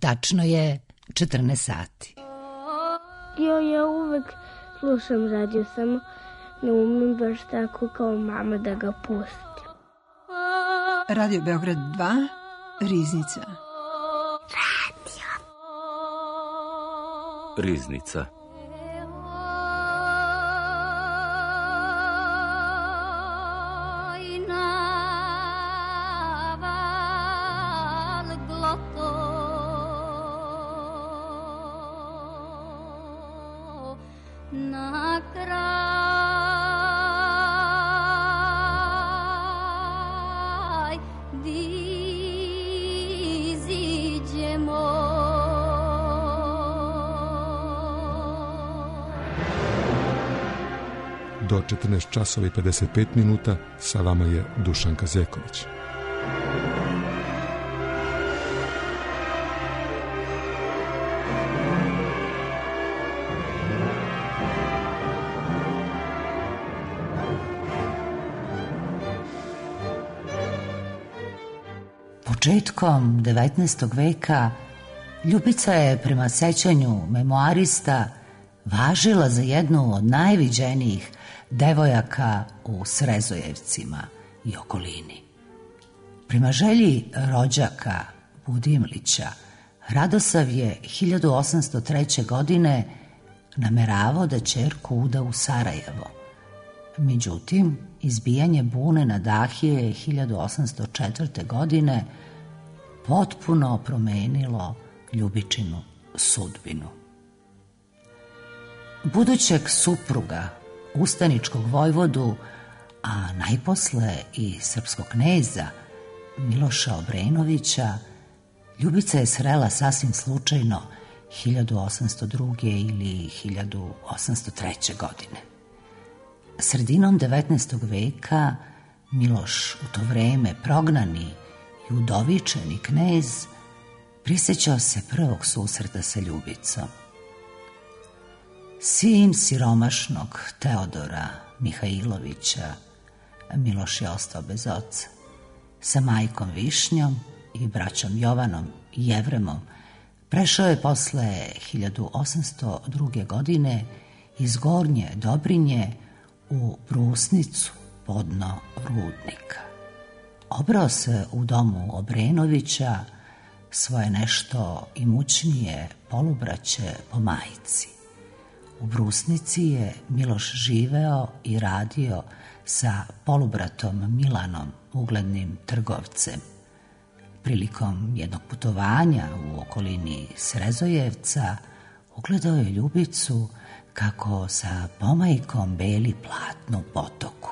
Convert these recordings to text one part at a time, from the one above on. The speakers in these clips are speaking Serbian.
tačno je 14 sati. Ja uvek slušam radio, samo ne umem baš tako kao mama da ga pustim. Radio Beograd 2, Riznica. Riznica. Do 14 časova i 55 minuta sa vama je Dušanka Zeković. Početkom 19. veka Ljubica je prema sećanju memoarista važila za jednu od najviđenijih devojaka u Srezojevcima i okolini. Prema želji rođaka Budimlića, Radosav je 1803. godine nameravao da ćerku uda u Sarajevo. Međutim, izbijanje bune na Dahije 1804. godine potpuno promenilo Ljubičinu sudbinu. Budućeg supruga, ustaničkog vojvodu, a najposle i srpskog kneza Miloša Obrenovića, Ljubica je srela sasvim slučajno 1802. ili 1803. godine. Sredinom 19. veka Miloš, u to vreme prognani i udovičeni knez, prisjećao se prvog susreta sa Ljubicom. Sin siromašnog Teodora Mihajlovića, Miloš je ostao bez oca. Sa majkom Višnjom i braćom Jovanom i Jevremom prešao je posle 1802. godine iz Gornje Dobrinje u Brusnicu, podno Rudnika. Obrao se u domu Obrenovića, svoje nešto imućnije polubraće po majci. U Brusnici je Miloš živeo i radio sa polubratom Milanom, uglednim trgovcem. Prilikom jednog putovanja u okolini Srezojevca ugledao je Ljubicu kako sa pomajkom beli platno u potoku.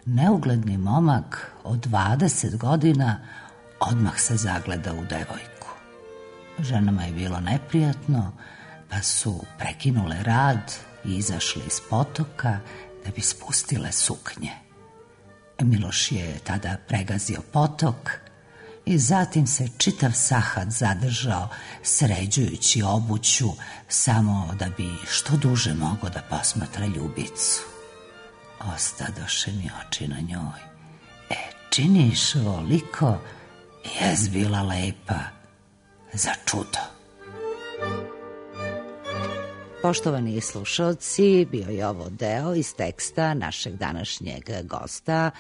Neugledni momak od 20 godina odmah se zagleda u devojku. Ženama je bilo neprijatno, pa su prekinule rad i izašli iz potoka da bi spustile suknje. Miloš je tada pregazio potok i zatim se čitav sahat zadržao sređujući obuću samo da bi što duže mogao da posmatra Ljubicu. Ostadoše mi oči na njoj. Činiš voliko, jes bila lepa, za čudo. Poštovani slušalci, bio je ovo deo iz teksta našeg današnjeg gosta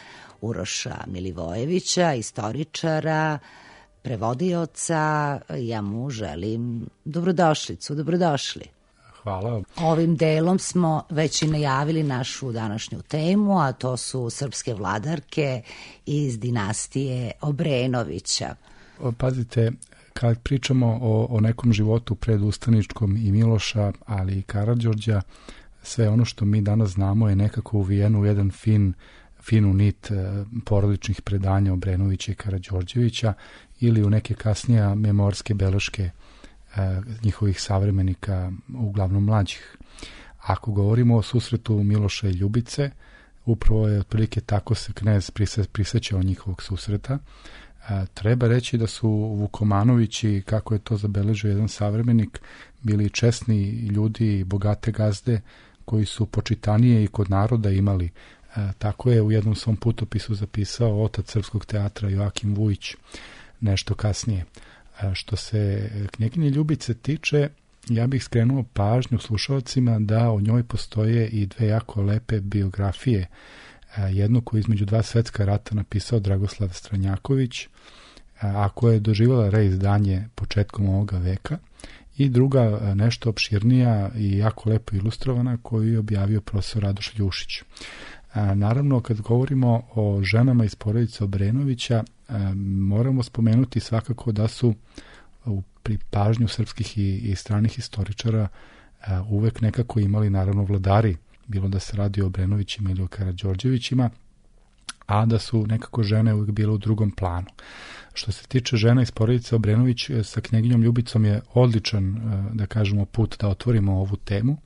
Uroša Milivojevića, istoričara, prevodioca. Ja mu želim dobrodošlicu, dobrodošli. Hvala. Ovim delom smo već i najavili našu današnju temu, a to su srpske vladarke iz dinastije Obrenovića. Pazite, kad pričamo o nekom životu predustaničkom i Miloša, ali i Karađorđa, sve ono što mi danas znamo je nekako uvijeno u jedan finu nit porodičnih predanja Obrenovića i Karađorđevića ili u neke kasnije memorske beleške njihovih savremenika, uglavnom mlađih. Ako govorimo o susretu Miloša i Ljubice, upravo je otprilike tako se knez prisjećao njihovog susreta. Treba reći da su Vukomanovići, kako je to zabeležio jedan savremenik, bili česni ljudi i bogate gazde koji su počitanije i kod naroda imali. Tako je u jednom svom putopisu zapisao otac srpskog teatra Joakim Vujić nešto kasnije. Što se knjeginje Ljubice tiče, ja bih skrenuo pažnju slušalcima da o njoj postoje i dve jako lepe biografije. Jednu koju između dva svetska rata napisao Dragoslav Stranjaković, a koja je doživjela reizdanje početkom ovoga veka, i druga nešto opširnija i jako lepo ilustrovana koju je objavio profesor Radoš Ljušić. Naravno, kad govorimo o ženama iz porodice Obrenovića, moramo spomenuti svakako da su pri pažnju srpskih i stranih historičara uvek nekako imali naravno vladari, bilo da se radi o Obrenovićima ili o Karađorđevićima, a da su nekako žene uvijek bile u drugom planu. Što se tiče žena iz porodice Obrenović, sa knjeginjom Ljubicom je odličan, da kažemo, put da otvorimo ovu temu.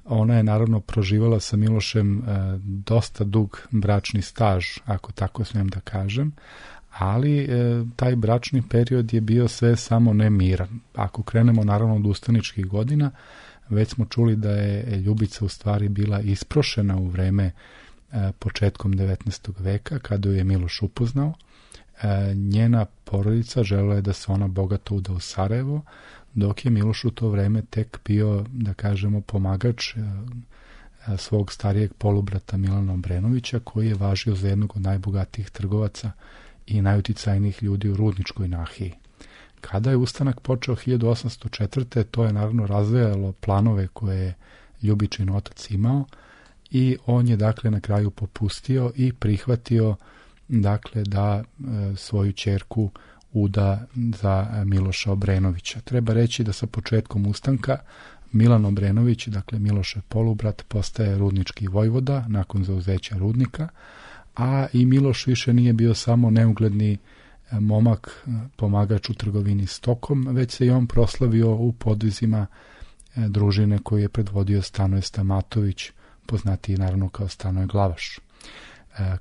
Ona je naravno proživala sa Milošem dosta dug bračni staž, ako tako smijem da kažem, ali taj bračni period je bio sve samo ne miran. Ako krenemo naravno od ustaničkih godina, već smo čuli da je Ljubica u stvari bila isprošena u vreme početkom 19. veka, kada ju je Miloš upoznao. Njena porodica želela je da se ona bogato uda u Sarajevo, dok je Miloš u to vreme tek bio, da kažemo, pomagač svog starijeg polubrata Milana Obrenovića, koji je važio za jednog od najbogatijih trgovaca i najuticajnijih ljudi u Rudničkoj nahiji. Kada je ustanak počeo 1804. to je naravno razvejalo planove koje je Ljubičin otac imao i on je dakle na kraju popustio i prihvatio dakle da svoju ćerku uda za Miloša Obrenovića. Treba reći da sa početkom ustanka Milan Obrenović, dakle Milošev polubrat, postaje rudnički vojvoda nakon zauzeća rudnika, a i Miloš više nije bio samo neugledni momak, pomagač u trgovini stokom, već se i on proslavio u podvizima družine koju je predvodio Stanoje Stamatović, poznatiji naravno kao Stanoje Glavaš.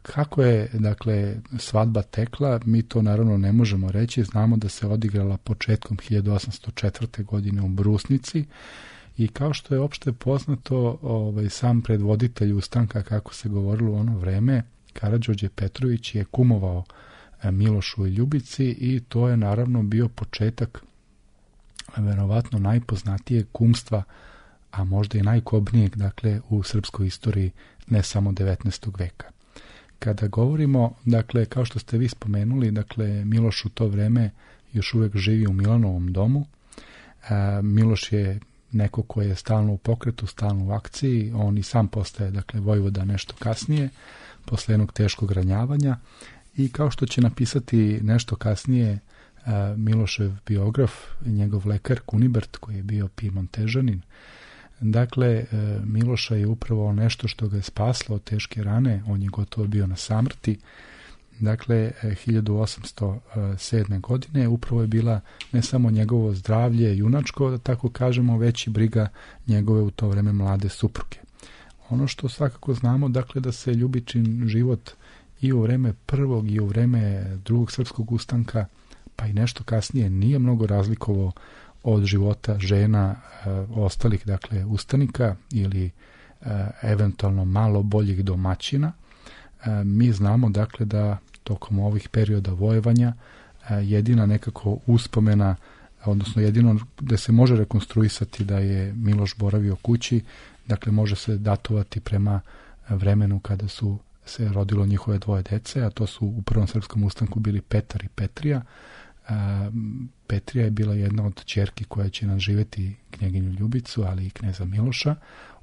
Kako je, dakle, svadba tekla, mi to naravno ne možemo reći. Znamo da se odigrala početkom 1804. godine u Brusnici i kao što je opšte poznato, sam predvoditelj ustanka, kako se govorilo u ono vreme, Karađorđe Petrović, je kumovao Milošu i Ljubici i to je naravno bio početak verovatno najpoznatijeg kumstva, a možda i najkobnijeg, dakle, u srpskoj istoriji, ne samo 19. veka. Kada govorimo, dakle, kao što ste vi spomenuli, dakle, Miloš u to vreme još uvijek živi u Milanovom domu. Miloš je neko koji je stalno u pokretu, stalno u akciji. On i sam postaje, dakle, vojvoda nešto kasnije, posle jednog teškog ranjavanja. I kao što će napisati nešto kasnije Milošev biograf, njegov lekar Kunibert, koji je bio Pimontežanin, dakle, Miloša je upravo nešto što ga je spaslo od teške rane, on je gotovo bio na samrti. Dakle, 1807. godine upravo je bila ne samo njegovo zdravlje junačko, da tako kažemo, već i briga njegove u to vreme mlade supruge. Ono što svakako znamo, dakle, da se Ljubičin život i u vreme prvog i u vreme drugog srpskog ustanka, pa i nešto kasnije, nije mnogo razlikovao od života žena ostalih, dakle, ustanika ili eventualno malo boljih domaćina. Mi znamo, dakle, da tokom ovih perioda vojevanja jedina nekako uspomena, odnosno jedino da se može rekonstruisati da je Miloš boravio kući, dakle, može se datovati prema vremenu kada su se rodilo njihove dvoje dece, a to su u prvom srpskom ustanku bili Petar i Petrija. Petrija je bila jedna od ćerki koja će nadživjeti knjeginju Ljubicu, ali i kneza Miloša.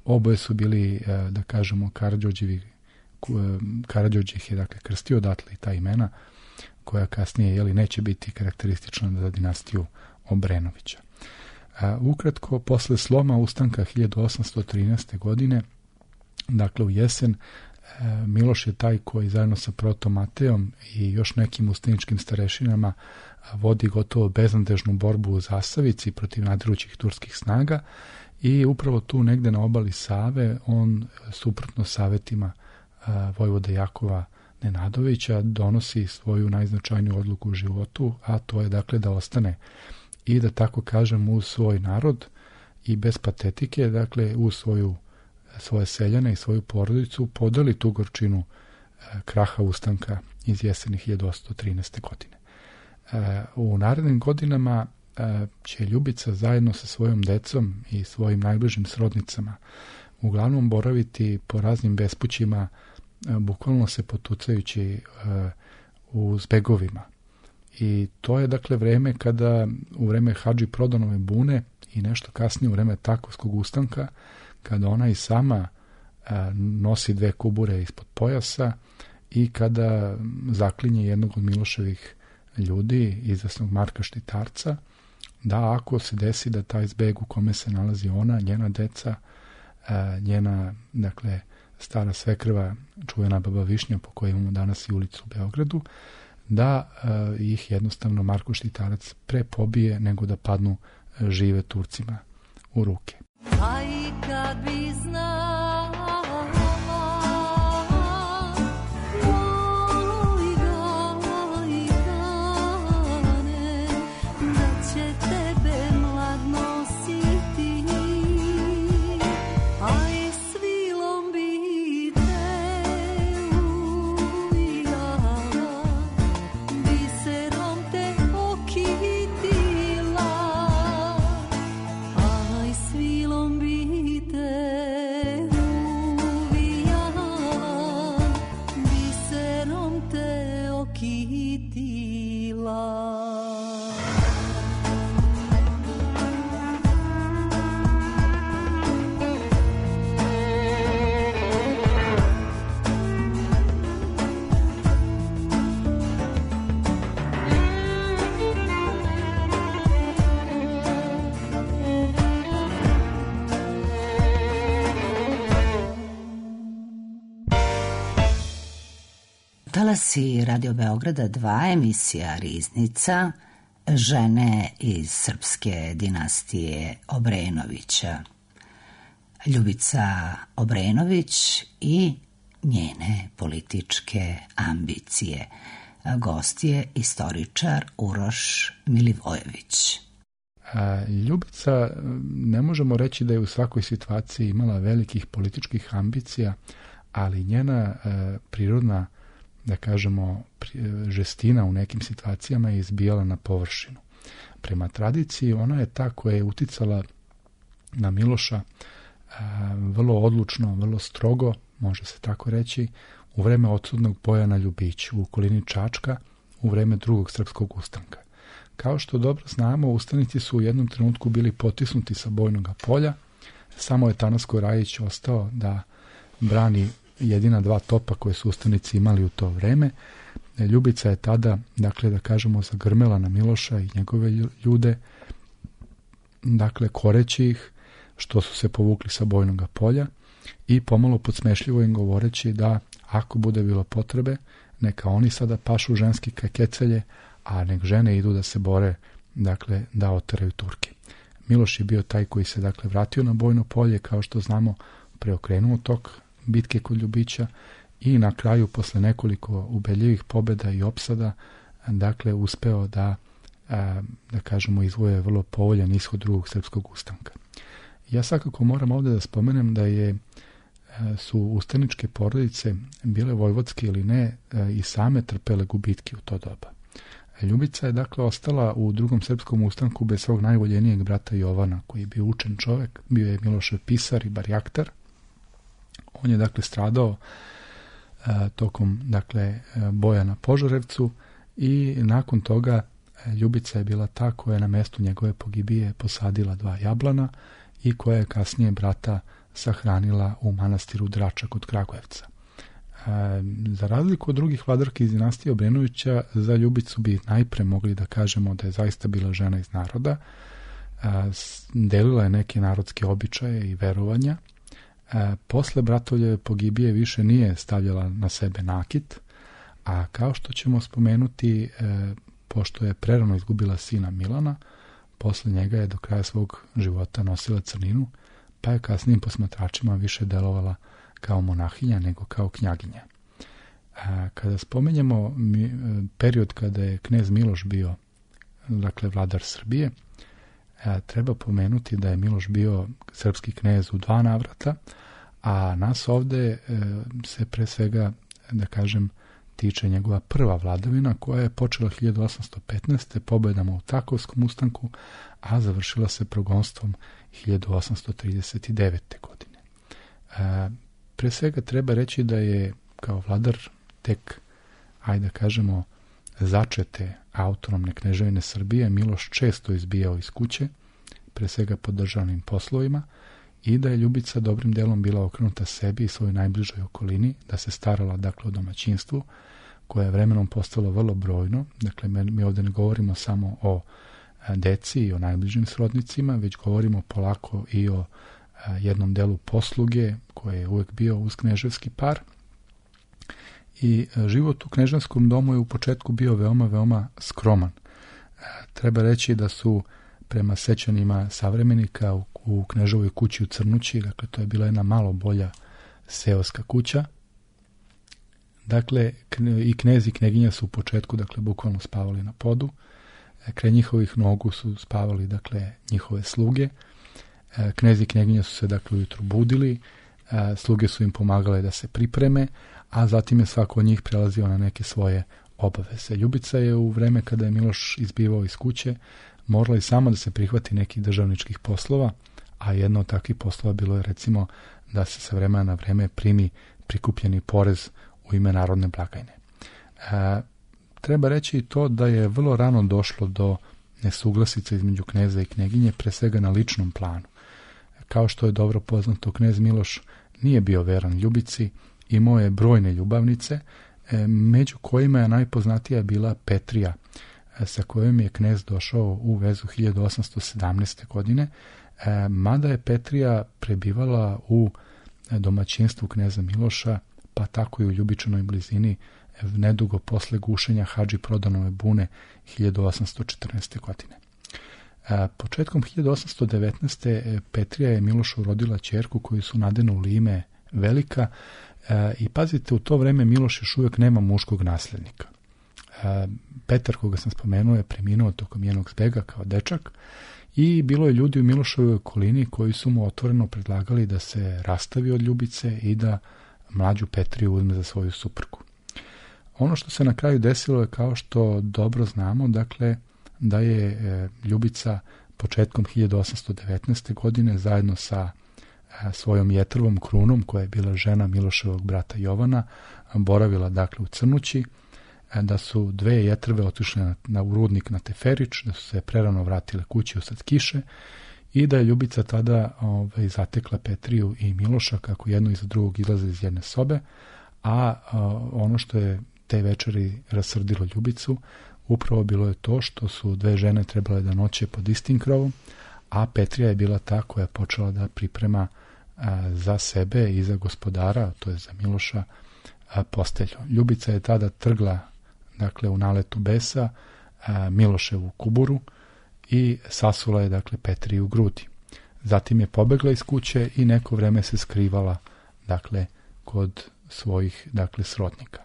Oboje su bili, da kažemo, Karađorđe ih je, dakle, krstio, odatle i ta imena koja kasnije, neće biti karakteristična za dinastiju Obrenovića. Ukratko, posle sloma ustanka 1813. godine, dakle u jesen, Miloš je taj koji zajedno sa protom Mateom i još nekim ustaničkim starešinama vodi gotovo beznadežnu borbu u Zasavici protiv nadirućih turskih snaga i upravo tu negde na obali Save on, suprotno savetima vojvode Jakova Nenadovića, donosi svoju najznačajniju odluku u životu, a to je, dakle, da ostane i, da tako kažem, uz svoj narod i bez patetike, dakle, uz svoje seljane i svoju porodicu podeli tu gorčinu kraha ustanka iz jeseni 1813. godine. U narednim godinama će Ljubica zajedno sa svojom decom i svojim najbližim srodnicama uglavnom boraviti po raznim bespućima, bukvalno se potucajući u zbegovima. I to je dakle vreme kada, u vreme Hadži Prodonove bune i nešto kasnije u vreme Takovskog ustanka, kada ona i sama nosi 2 kubure ispod pojasa i kada zaklinje jednog od Miloševih ljudi, izvesnog Marka Štitarca, da ako se desi da taj zbeg u kome se nalazi ona, njena deca, njena, dakle, stara svekrva, čuvena baba Višnja, po kojoj imamo danas i ulicu u Beogradu, da ih jednostavno Marko Štitarac pre pobije nego da padnu žive Turcima u ruke. A i kad bi znala, oj Gane, da će tebe mlad nositi, a i svilom bi te uvijala, biserom te okitila, a i svilom bi te uvijala, biserom te okitila. Talasi Radio Beograda 2, emisija Riznica, žene iz srpske dinastije Obrenovića. Ljubica Obrenović i njene političke ambicije. Gost je istoričar Uroš Milivojević. Ljubica, ne možemo reći da je u svakoj situaciji imala velikih političkih ambicija, ali njena prirodna, da kažemo, žestina u nekim situacijama je izbijala na površinu. Prema tradiciji, ona je ta koja je uticala na Miloša vrlo odlučno, vrlo strogo, može se tako reći, u vreme odsudnog boja na Ljubiću, u okolini Čačka, u vreme Drugog srpskog ustanka. Kao što dobro znamo, ustanici su u jednom trenutku bili potisnuti sa bojnog polja, samo je Tanasko Rajić ostao da brani jedina 2 topa koje su ustanici imali u to vreme. Ljubica je tada, dakle, da kažemo, zagrmela na Miloša i njegove ljude, dakle, koreći ih što su se povukli sa bojnog polja i pomalo podsmešljivo im govoreći da ako bude bilo potrebe, neka oni sada pašu ženski kecelje, a nek žene idu da se bore, dakle, da oteraju Turke. Miloš je bio taj koji se, dakle, vratio na bojno polje, kao što znamo, preokrenuo tok bitke kod Ljubića i na kraju, posle nekoliko ubedljivih pobjeda i opsada, dakle, uspeo da kažemo, izvoje vrlo povoljan ishod Drugog srpskog ustanka. Ja svakako moram ovdje da spomenem da su ustaničke porodice, bile vojvodske ili ne, i same trpele gubitke u to doba. Ljubica je, dakle, ostala u Drugom srpskom ustanku bez svog najvoljenijeg brata Jovana, koji je bio učen čovek, bio je Milošev pisar i barjaktar. On je, dakle, stradao tokom, dakle, boja na Požarevcu i nakon toga Ljubica je bila ta koja je na mestu njegove pogibije posadila 2 jablana i koja je kasnije brata sahranila u manastiru Drača kod Kragujevca. Za razliku od drugih vladarki iz dinastije Obrenovića, za Ljubicu bi najpre mogli da kažemo da je zaista bila žena iz naroda, delila je neke narodske običaje i verovanja. Posle bratovljeve pogibije više nije stavljala na sebe nakit, a kao što ćemo spomenuti, pošto je prerano izgubila sina Milana, posle njega je do kraja svog života nosila crninu, pa je kasnijim posmatračima više delovala kao monahinja nego kao knjaginja. Kada spomenjemo period kada je knez Miloš bio, dakle, vladar Srbije, treba pomenuti da je Miloš bio srpski knez u 2 navrata, a nas ovde se pre svega, da kažem, tiče njegova prva vladavina koja je počela 1815. pobjedama u Takovskom ustanku, a završila se progonstvom 1839. godine. Pre svega treba reći da je kao vladar tek, ajde da kažemo, začete autonomne kneževine Srbije Miloš često izbijao iz kuće, pre svega pod državnim poslovima, i da je Ljubica dobrim delom bila okrenuta sebi i svojoj najbližoj okolini, da se starala dakle o domaćinstvu, koje je vremenom postalo vrlo brojno. Dakle, mi ovdje ne govorimo samo o deci i o najbližim srodnicima, već govorimo polako i o jednom delu posluge koji je uvek bio uz kneževski par. I život u knežanskom domu je u početku bio veoma, veoma skroman. Treba reći da su prema sećanjima savremenika u kneževoj kući u Crnući, dakle to je bila jedna malo bolja seoska kuća. Dakle, i knez i kneginja su u početku, dakle, bukvalno spavali na podu. Kraj njihovih nogu su spavali, dakle, njihove sluge. Knez i kneginja su se, dakle, ujutru budili, sluge su im pomagale da se pripreme, a zatim je svako od njih prelazio na neke svoje obaveze. Ljubica je u vreme kada je Miloš izbivao iz kuće morala i sama da se prihvati nekih državničkih poslova, a jedno od takvih poslova bilo je recimo da se sa vremena na vreme primi prikupljeni porez u ime narodne blagajne. Treba reći i to da je vrlo rano došlo do nesuglasica između kneza i kneginje, pre svega na ličnom planu. Kao što je dobro poznato, knez Miloš nije bio veran Ljubici, imao je brojne ljubavnice, među kojima je najpoznatija bila Petrija, sa kojom je knez došao u vezu 1817. godine, mada je Petrija prebivala u domaćinstvu kneza Miloša, pa tako i u Ljubičanoj blizini, nedugo posle gušenja Hadži Prodanove bune 1814. godine. Početkom 1819. Petrija je Milošu rodila ćerku koju su nadenuli ime Velika, i pazite, u to vreme Miloš još uvijek nema muškog nasljednika. Petar, koga sam spomenuo, je preminuo tokom njenog zbega kao dečak i bilo je ljudi u Milošovoj okolini koji su mu otvoreno predlagali da se rastavi od Ljubice i da mlađu Petriju uzme za svoju suprugu. Ono što se na kraju desilo je, kao što dobro znamo, dakle, da je Ljubica početkom 1819. godine zajedno sa svojom Jetrvom Krunom, koja je bila žena Miloševog brata Jovana, boravila dakle u Crnući, da su dve Jetrve otišle u rudnik na Teferić, da su se prerano vratile kući usred kiše i da je Ljubica tada zatekla Petriju i Miloša kako jedno iza drugog izlaze iz jedne sobe, a ono što je te večeri rasrdilo Ljubicu upravo bilo je to što su dve žene trebale da noće pod istim krovom, a Petrija je bila ta koja je počela da priprema za sebe i za gospodara, to je za Miloša, postelju. Ljubica je tada trgla, dakle, u naletu besa Miloševu kuburu i sasula je, dakle, Petriju u grudi. Zatim je pobegla iz kuće i neko vreme se skrivala, dakle, kod svojih, dakle, srodnika.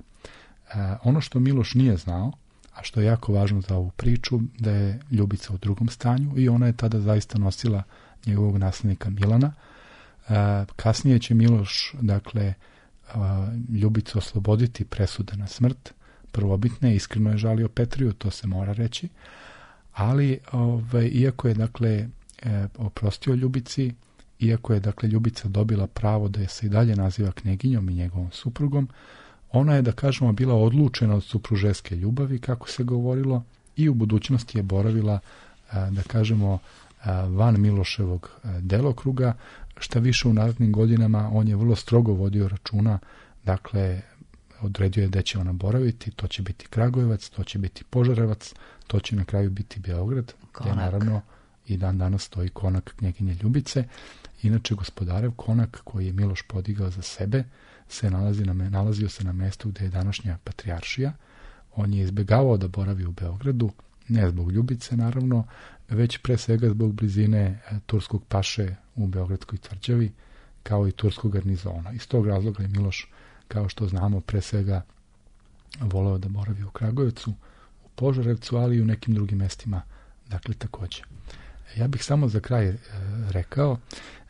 Ono što Miloš nije znao, a što je jako važno za ovu priču, da je Ljubica u drugom stanju i ona je tada zaista nosila njegovog nasljednika Milana. Kasnije će Miloš, dakle, Ljubicu osloboditi presude na smrt prvobitne, iskreno je žalio Petriju, to se mora reći, ali iako je, dakle, oprostio Ljubici, iako je, dakle, Ljubica dobila pravo da je se i dalje naziva kneginjom i njegovom suprugom, ona je, da kažemo, bila odlučena od supružeske ljubavi, kako se govorilo, i u budućnosti je boravila, da kažemo, van Miloševog delokruga. Šta više, u narednim godinama on je vrlo strogo vodio računa, dakle, odredio je gde će ona boraviti, to će biti Kragujevac, to će biti Požarevac, to će na kraju biti Beograd, gde naravno i dan danas stoji konak knjeginje Ljubice. Inače, gospodarev konak koji je Miloš podigao za sebe nalazio se na mestu gde je današnja patrijaršija. On je izbegavao da boravi u Beogradu, ne zbog Ljubice naravno, već pre svega zbog blizine turskog paše u Beogradskoj tvrđavi, kao i turskog garnizona. Iz tog razloga je Miloš, kao što znamo, pre svega voleo da boravi u Kragujevcu, u Požarevcu, ali i u nekim drugim mestima, dakle, takođe. Ja bih samo za kraj rekao,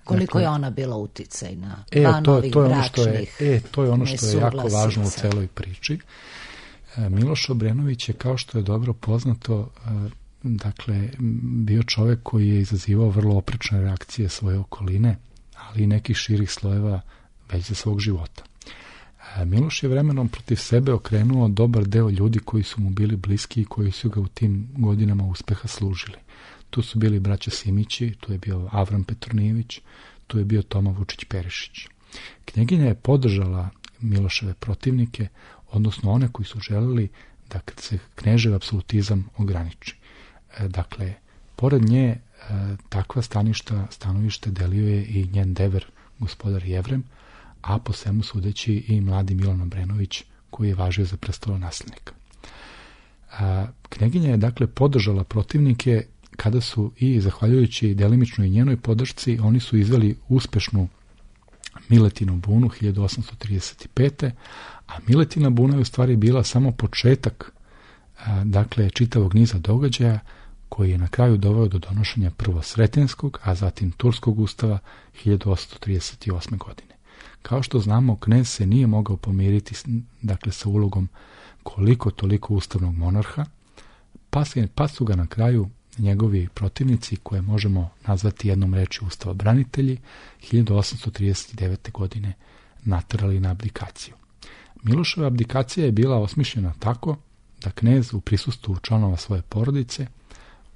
koliko je ona bila uticajna van ovih bračnih to je ono što je jako važno u celoj priči. Miloš Obrenović je, kao što je dobro poznato, dakle, bio čovjek koji je izazivao vrlo oprečne reakcije svoje okoline, ali i nekih širih slojeva već za svog života. Miloš je vremenom protiv sebe okrenuo dobar deo ljudi koji su mu bili bliski i koji su ga u tim godinama uspeha služili. Tu su bili braća Simići, tu je bio Avram Petronijević, tu je bio Toma Vučić-Perišić. Knjeginja je podržala Miloševe protivnike, odnosno one koji su želeli da se knežev apsolutizam ograniči. Dakle, pored nje takva stanovište delio je i njen dever, gospodar Jevrem, a po svemu sudeći i mladi Milan Obrenović, koji je važio za prestolonaslednika. Knjeginja je dakle podržala protivnike kada su, i zahvaljujući delimično i njenoj podršci, oni su izveli uspešnu Miletinu bunu 1835. A Miletina buna je u stvari bila samo početak dakle čitavog niza događaja koji je na kraju doveo do donošenja prvo Sretenskog, a zatim Turskog ustava 1838. godine. Kao što znamo, knez se nije mogao pomiriti dakle sa ulogom koliko toliko ustavnog monarha, pa su ga na kraju njegovi protivnici, koje možemo nazvati jednom rečju ustavobranitelji, 1839. godine naterali na abdikaciju. Miloševa abdikacija je bila osmišljena tako da knez u prisustvu članova svoje porodice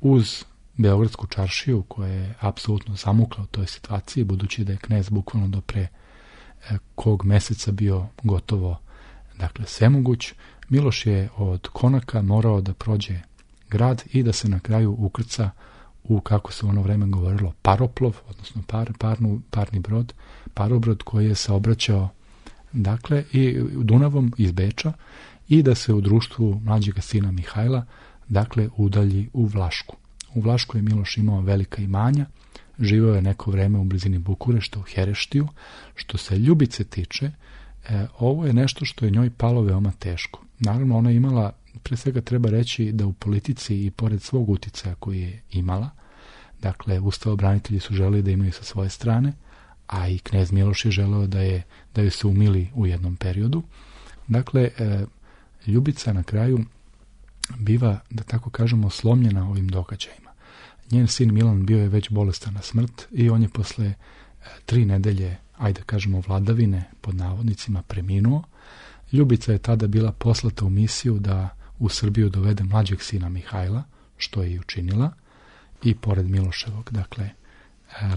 uz Beogradsku čaršiju, koja je apsolutno zamukla u toj situaciji, budući da je knez bukvalno do pre kog meseca bio gotovo dakle svemoguć, Miloš je od Konaka morao da prođe grad i da se na kraju ukrca u, kako se u ono vreme govorilo, paroplov, odnosno parni brod, parobrod koji je saobraćao dakle i Dunavom iz Beča i da se u društvu mlađega sina Mihajla dakle udalji u Vlašku. U Vlašku je Miloš imao velika imanja, živeo je neko vreme u blizini Bukurešta, u Hereštiju. Što se Ljubice tiče, ovo je nešto što je njoj palo veoma teško. Naravno, ona je imala, pre svega treba reći da u politici i pored svog uticaja koji je imala, dakle, ustavobranitelji su želeli da imaju sa svoje strane, a i knez Miloš je želeo da joj se umili u jednom periodu. Dakle, Ljubica na kraju biva, da tako kažemo, slomljena ovim događajima. Njen sin Milan bio je već bolestan na smrt i on je posle 3 nedelje, ajde kažemo, vladavine, pod navodnicima, preminuo. Ljubica je tada bila poslata u misiju da u Srbiju dovede mlađeg sina Mihajla, što je i učinila, i pored Miloševog, dakle,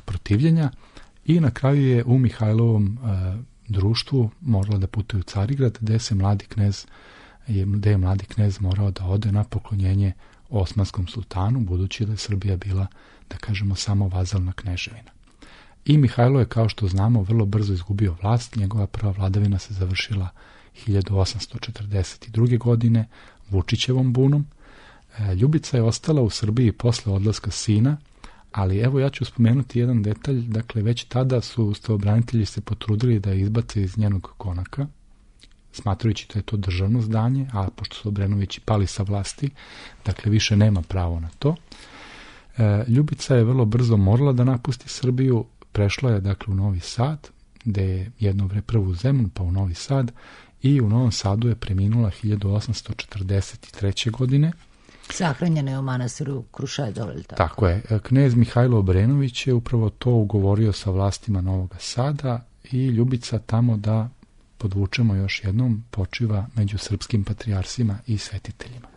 protivljenja. I na kraju je u Mihajlovom društvu morala da putuje u Carigrad, gde je mladi knez morao da ode na poklonjenje Osmanskom sultanu, budući da je Srbija bila, da kažemo, samo vazalna kneževina. I Mihajlo je, kao što znamo, vrlo brzo izgubio vlast. Njegova prva vladavina se završila 1842. godine Vučićevom bunom. Ljubica je ostala u Srbiji posle odlaska sina, ali evo ja ću spomenuti jedan detalj. Dakle, već tada su ustavobranitelji se potrudili da je izbace iz njenog konaka, smatrajući da je to državno zdanje, a pošto su Obrenovići pali sa vlasti, dakle više nema pravo na to. Ljubica je vrlo brzo morala da napusti Srbiju, prešla je dakle u Novi Sad, gde je jedno prvo u Zemun, pa u Novi Sad, i u Novom Sadu je preminula 1843. godine. Sahranjena je u manastiru Krušedol. Tako je. Knez Mihajlo Obrenović je upravo to ugovorio sa vlastima Novog Sada i Ljubica tamo, da podvučemo još jednom, počiva među srpskim patrijarsima i svetiteljima.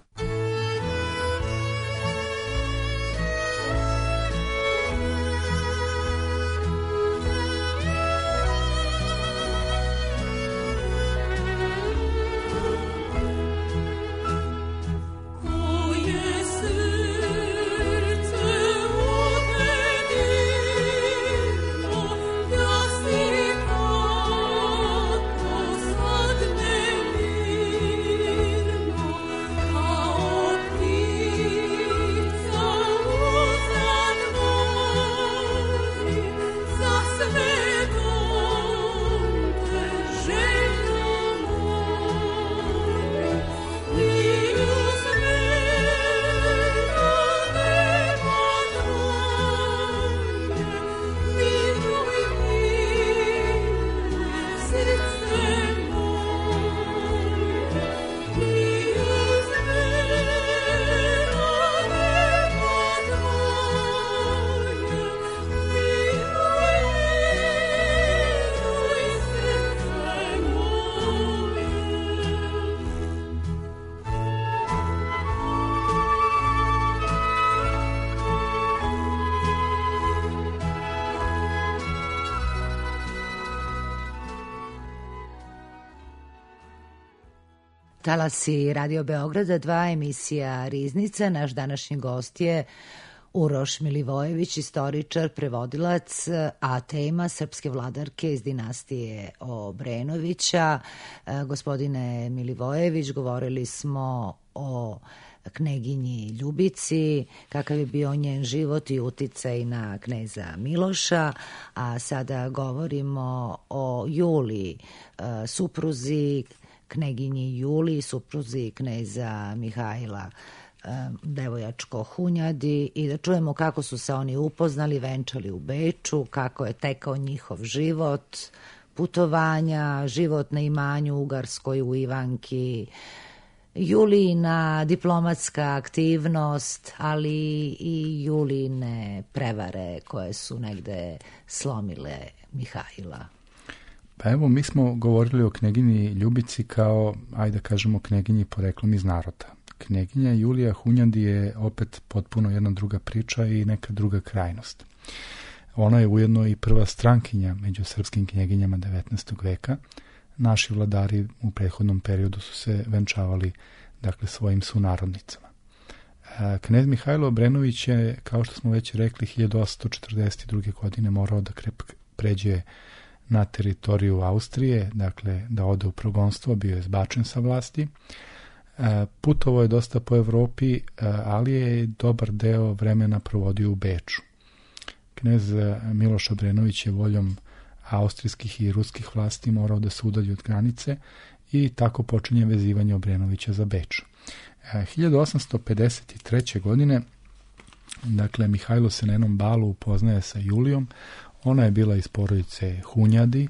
Oh talasi Radio Beograda 2, emisija Riznica. Naš današnji gost je Uroš Milivojević, istoričar, prevodilac, a tema srpske vladarke iz dinastije Obrenovića. Gospodine Milivojević, govorili smo o kneginji Ljubici, kakav je bio njen život i uticaj na kneza Miloša, a sada govorimo o Juliji, supruzi kneginji Juliji, supruzi kneza Mihajla Devojačko-Hunjadi, i da čujemo kako su se oni upoznali, venčali u Beču, kako je tekao njihov život, putovanja, život na imanju Ugarskoj u Ivanki, Julijina diplomatska aktivnost, ali i Julijine prevare koje su negde slomile Mihajla. Pa evo, mi smo govorili o kneginji Ljubici kao, ajde kažemo, kneginji poreklom iz naroda. Kneginja Julija Hunjadi je opet potpuno jedna druga priča i neka druga krajnost. Ona je ujedno i prva strankinja među srpskim knjeginjama 19. veka. Naši vladari u prethodnom periodu su se venčavali, dakle, svojim sunarodnicama. Knez Mihajlo Obrenović je, kao što smo već rekli, 1842. godine morao da pređe na teritoriju Austrije, dakle da ode u progonstvo, bio je zbačen sa vlasti. Putovao je dosta po Evropi, ali je dobar deo vremena provodio u Beču. Knez Miloš Obrenović je voljom austrijskih i ruskih vlasti morao da se udalji od granice i tako počinje vezivanje Obrenovića za Beč. 1853. godine, dakle, Mihajlo se na jednom balu upoznaje sa Julijom. Ona je bila iz porodice Hunjadi,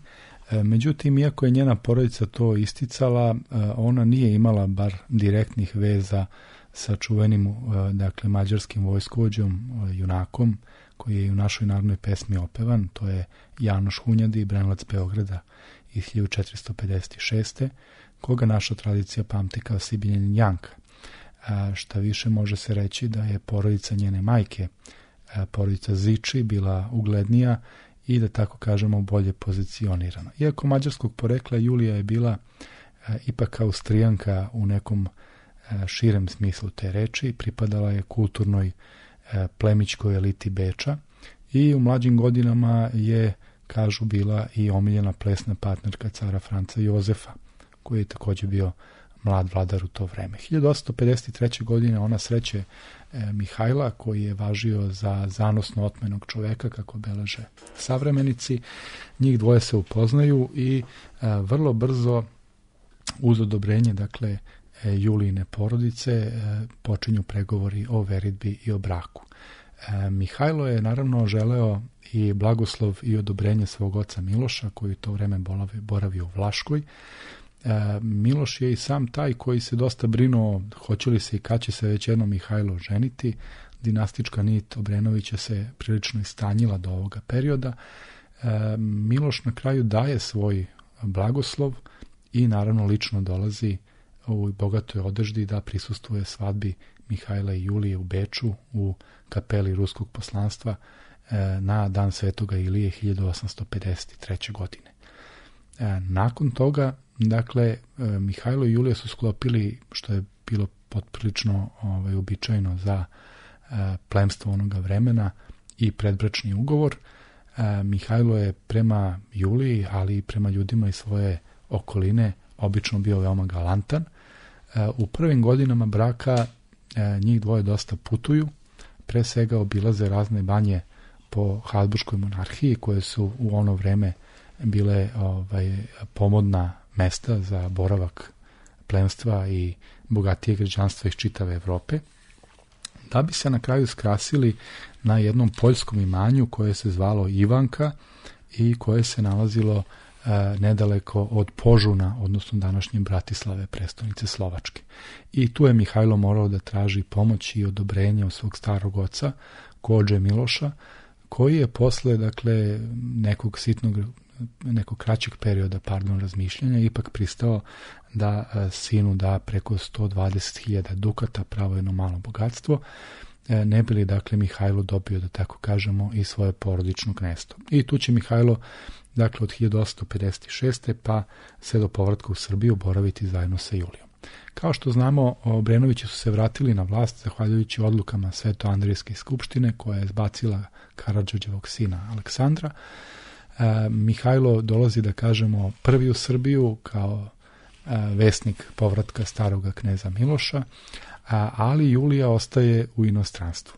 međutim, iako je njena porodica to isticala, ona nije imala bar direktnih veza sa čuvenim, dakle, mađarskim vojskovođom, junakom, koji je u našoj narodnoj pesmi opevan. To je Janoš Hunjadi, branilac Beograda iz 1456. koga naša tradicija pamti kao Sibiljanin Janka. Šta više, može se reći da je porodica njene majke, porodica Ziči, bila uglednija i, da tako kažemo, bolje pozicionirana. Iako mađarskog porekla, Julija je bila ipak Austrijanka u nekom širem smislu te reči, pripadala je kulturnoj plemićkoj eliti Beča i u mlađim godinama je, kažu, bila i omiljena plesna partnerka cara Franca Jozefa, koji je također bio mlad vladar u to vreme. 1853. godine ona sreće Mihajla, koji je važio za zanosno otmenog čoveka, kako beleže savremenici. Njih dvoje se upoznaju i vrlo brzo, uz odobrenje, dakle, Julijine porodice, počinju pregovori o veridbi i o braku. Mihajlo je naravno želeo i blagoslov i odobrenje svog oca Miloša, koji u to vreme boravio u Vlaškoj. Miloš je i sam taj koji se dosta brinuo hoće li se i kad će se već jednom Mihajlo ženiti. Dinastička nit Obrenovića se prilično istanjila do ovoga perioda. Miloš na kraju daje svoj blagoslov i naravno lično dolazi u bogatoj odeždi da prisustvuje svadbi Mihajla i Julije u Beču u kapeli ruskog poslanstva na dan Svetoga Ilije 1853. godine. Nakon toga, dakle, Mihajlo i Julija su sklopili, što je bilo potprilično uobičajeno za plemstvo onoga vremena, i predbračni ugovor. Mihajlo je prema Juliji, ali i prema ljudima iz svoje okoline obično bio veoma galantan. U prvim godinama braka njih dvoje dosta putuju, pre svega obilaze razne banje po Habsburškoj monarhiji, koje su u ono vreme bile pomodna mesta za boravak plemstva i bogatije građanstva iz čitave Evrope, da bi se na kraju skrasili na jednom poljskom imanju koje se zvalo Ivanka i koje se nalazilo nedaleko od Požuna, odnosno današnje Bratislave, prestonice Slovačke. I tu je Mihajlo morao da traži pomoć i odobrenje od svog starog oca, Kodže Miloša, koji je posle, dakle, nekog kraćeg perioda, razmišljanja, ipak pristao da sinu da preko 120.000 dukata, pravo jedno malo bogatstvo, ne bi li, dakle, Mihajlo dobio, da tako kažemo, i svoje porodično knezstvo. I tu će Mihajlo, dakle, od 1856. pa sve do povratka u Srbiju boraviti zajedno sa Julijom. Kao što znamo, Obrenovići su se vratili na vlast zahvaljujući odlukama Svetoandrijske skupštine koja je zbacila Karađorđevog sina Aleksandra. Mihajlo dolazi, da kažemo, prvi u Srbiju kao vesnik povratka staroga kneza Miloša, ali Julija ostaje u inostranstvu.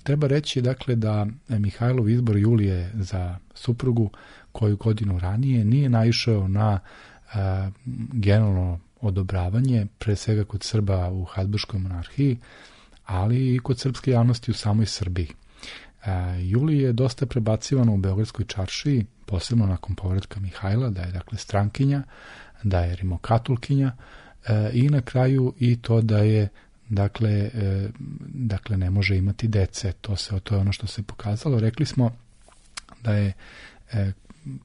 Treba reći, dakle, da Mihajlov izbor Julije za suprugu koju godinu ranije nije naišao na generalno odobravanje, pre svega kod Srba u Habsburškoj monarhiji, ali i kod srpske javnosti u samoj Srbiji. Julija je dosta prebacivana u Beogradskoj čaršiji, posebno nakon povratka Mihajla, da je, dakle, strankinja, da je rimokatolkinja i na kraju i to da je, dakle, ne može imati dece. To je ono što se pokazalo. Rekli smo da je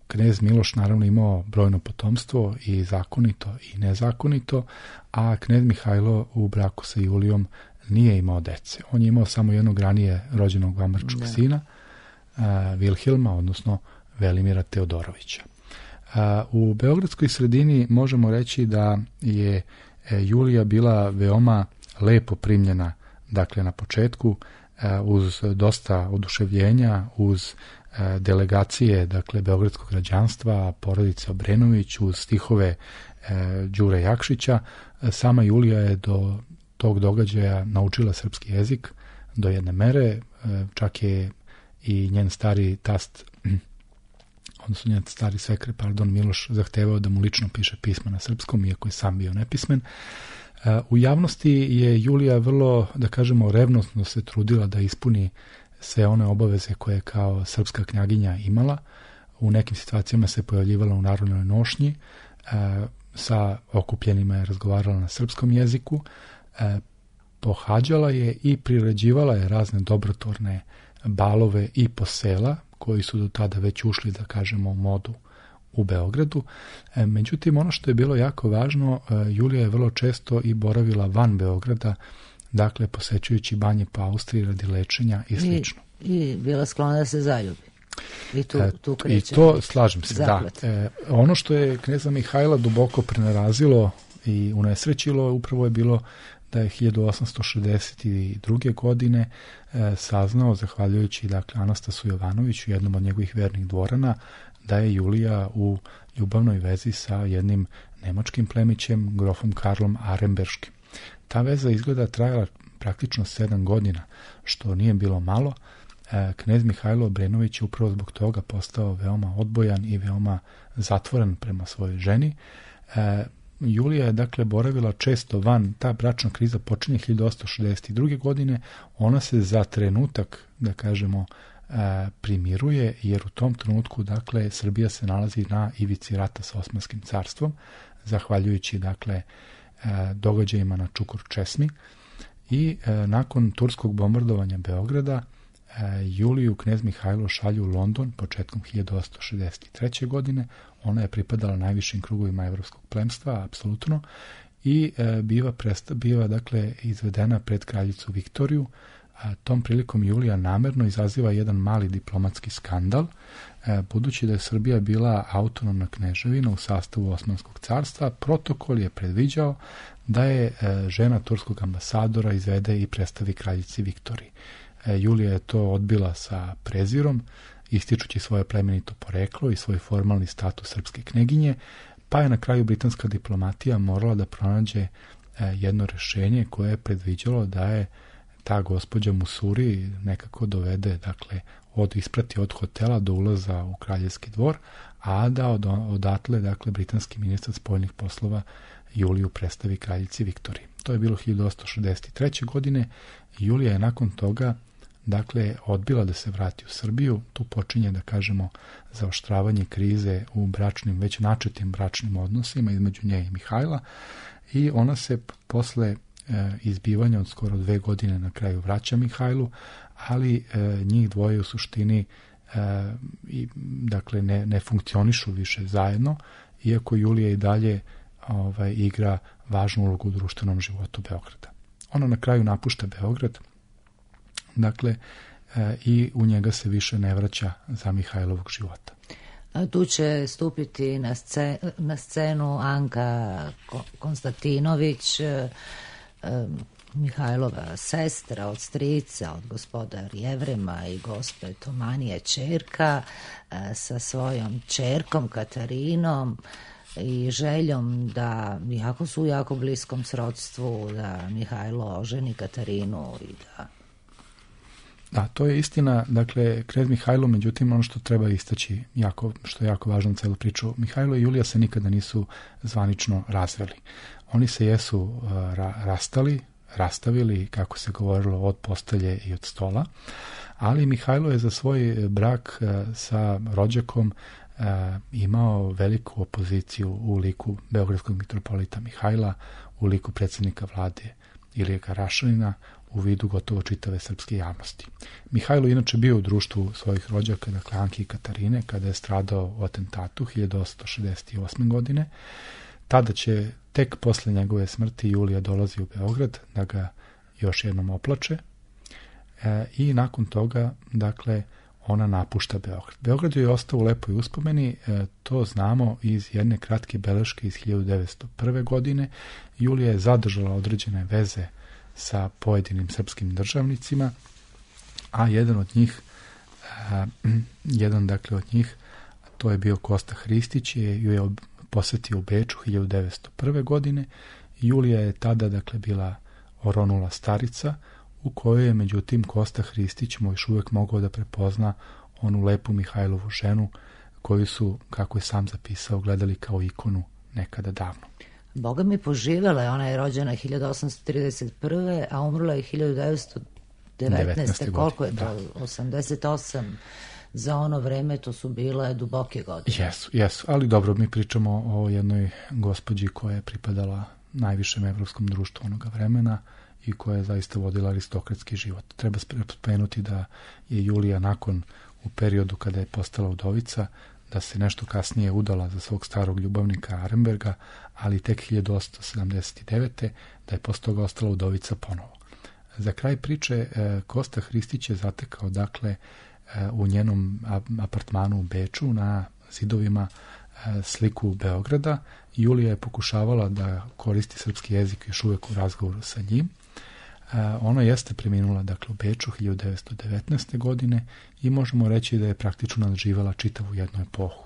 knez Miloš naravno imao brojno potomstvo i zakonito i nezakonito, a knez Mihajlo u braku sa Julijom nije imao dece. On je imao samo jednog ranije rođenog vambarčkog sina, Vilhelma, odnosno Velimira Teodorovića. U beogradskoj sredini možemo reći da je Julija bila veoma lepo primljena, dakle, na početku, uz dosta oduševljenja, uz delegacije, dakle, beogradskog građanstva, porodice Obrenović, uz stihove Đure Jakšića. Sama Julija je do tog događaja naučila srpski jezik do jedne mere, čak je i njen stari tast, odnosno njen stari svekar, Miloš, zahtevao da mu lično piše pisma na srpskom, iako je sam bio nepismen. U javnosti je Julija vrlo, da kažemo, revnosno se trudila da ispuni sve one obaveze koje kao srpska knjaginja imala. U nekim situacijama se pojavljivala u narodnoj nošnji, sa okupljenima je razgovarala na srpskom jeziku, pohađala je i priređivala je razne dobrotvorne balove i posela, koji su do tada već ušli, da kažemo, u modu u Beogradu. Međutim, ono što je bilo jako važno, Julija je vrlo često i boravila van Beograda, dakle, posećujući banje po Austriji radi lečenja i slično. I bila sklona da se zaljubi. I to, slažem se, zaplet. Da. Ono što je kneza Mihajla duboko prenarazilo i unesrećilo, upravo je bilo da je 1862. godine saznao, zahvaljujući, dakle, Anastasu Jovanoviću, jednom od njegovih vernih dvorana, da je Julija u ljubavnoj vezi sa jednim nemačkim plemićem, grofom Karlom Aremberškim. Ta veza izgleda trajala praktično 7 godina, što nije bilo malo. Knez Mihajlo Obrenović je upravo zbog toga postao veoma odbojan i veoma zatvoren prema svojoj ženi. Julija je, dakle, boravila često van. Ta bračna kriza počinje 1862. godine. Ona se za trenutak, da kažemo, primiruje, jer u tom trenutku, dakle, Srbija se nalazi na ivici rata sa Osmanskim carstvom, zahvaljujući, dakle, događajima na Čukur Česmi. I nakon turskog bombardovanja Beograda, Juliju knez Mihajlo šalju u London početkom 1863. godine. Ona je pripadala najvišim krugovima evropskog plemstva, apsolutno, i biva, dakle, izvedena pred kraljicu Viktoriju. Tom prilikom Julija namerno izaziva jedan mali diplomatski skandal, budući da je Srbija bila autonomna kneževina u sastavu Osmanskog carstva. Protokol je predviđao da je žena turskog ambasadora izvede i predstavi kraljici Viktoriji. Julija je to odbila sa prezirom, ističući svoje plemenito poreklo i svoj formalni status srpske kneginje, pa je na kraju britanska diplomatija morala da pronađe jedno rešenje koje je predviđalo da je ta gospođa Musuri nekako dovede, dakle, isprati od hotela do ulaza u kraljevski dvor, a da odatle, dakle, britanski ministar spoljnih poslova Juliju predstavi kraljici Viktoriji. To je bilo 1863. godine. Julija je nakon toga, dakle, odbila da se vrati u Srbiju. Tu počinje, da kažemo, zaoštravanje krize u već načetim bračnim odnosima između nje i Mihajla, i ona se posle izbivanja od skoro 2 godine na kraju vraća Mihajlu, ali njih dvoje u suštini dakle, ne funkcionišu više zajedno, iako Julija i dalje igra važnu ulogu u društvenom životu Beograda. Ona na kraju napušta Beograd, dakle, i u njega se više ne vraća za Mihajlovog života. Tu će stupiti na scenu Anka Konstantinović, Mihajlova sestra od strica, od gospoda Jevrema i gospe Tomanije ćerka, sa svojom ćerkom Katarinom i željom da, iako su u jako bliskom srodstvu, da Mihajlo oženi Katarinu i da... Da, to je istina. Dakle, Knez Mihajlo, međutim, ono što treba istaći, što je jako važno u celu priču, Mihajlo i Julija se nikada nisu zvanično razveli. Oni se jesu rastavili, kako se govorilo, od postelje i od stola, ali Mihajlo je za svoj brak sa rođakom imao veliku opoziciju u liku beogradskog mitropolita Mihajla, u liku predsjednika vlade Ilije Karašanina, u vidu gotovo čitave srpske javnosti. Mihajlo inače bio u društvu svojih rođaka, dakle Anke i Katarine, kada je stradao u atentatu 1868. godine. Tada će tek posle njegove smrti Julija dolazi u Beograd da ga još jednom oplače i nakon toga, dakle, ona napušta Beograd. Beograd joj je ostao u lepoj uspomeni, to znamo iz jedne kratke beleške iz 1901. godine. Julija je zadržala određene veze sa pojedinim srpskim državnicima, a jedan od njih, to je bio Kosta Hristić, ju je posetio u Beču 1901. godine. Julija je tada, dakle, bila oronula starica, u kojoj je, međutim, Kosta Hristić još uvijek mogao da prepozna onu lepu Mihajlovu ženu, koju su, kako je sam zapisao, gledali kao ikonu nekada davno. Boga mi poživela je, ona je rođena 1831. a umrla je 1919. Koliko je to? 88. Za ono vreme to su bile duboke godine. Jesu, ali dobro, mi pričamo o jednoj gospođi koja je pripadala najvišem evropskom društvu onoga vremena i koja je zaista vodila aristokratski život. Treba spomenuti da je Julija nakon, u periodu kada je postala udovica, da se nešto kasnije udala za svog starog ljubavnika Arenberga, ali tek 1879. da je posle toga ostala udovica ponovo. Za kraj priče Kosta Hristić je zatekao, dakle, u njenom apartmanu u Beču na zidovima sliku Beograda. Julija je pokušavala da koristi srpski jezik još uvijek u razgovoru sa njim. Ona jeste preminula, dakle, u Beču 1919. godine i možemo reći da je praktično nadživala čitavu jednu epohu.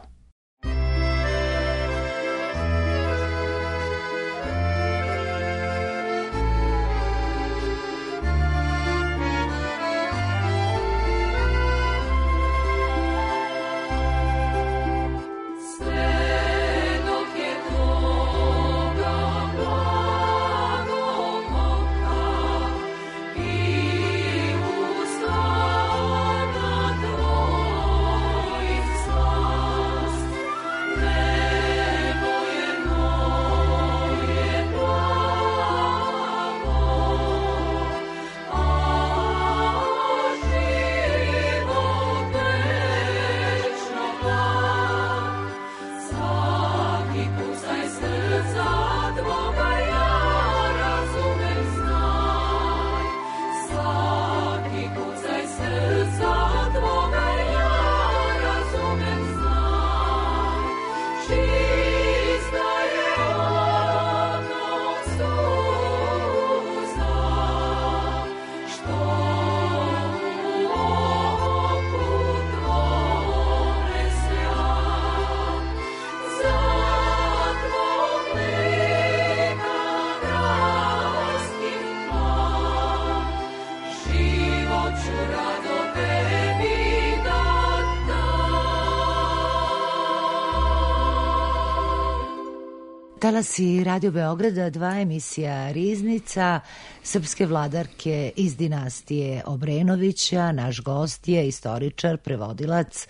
Talasi Radio Beograda, 2 emisija Riznica, srpske vladarke iz dinastije Obrenovića. Naš gost je istoričar, prevodilac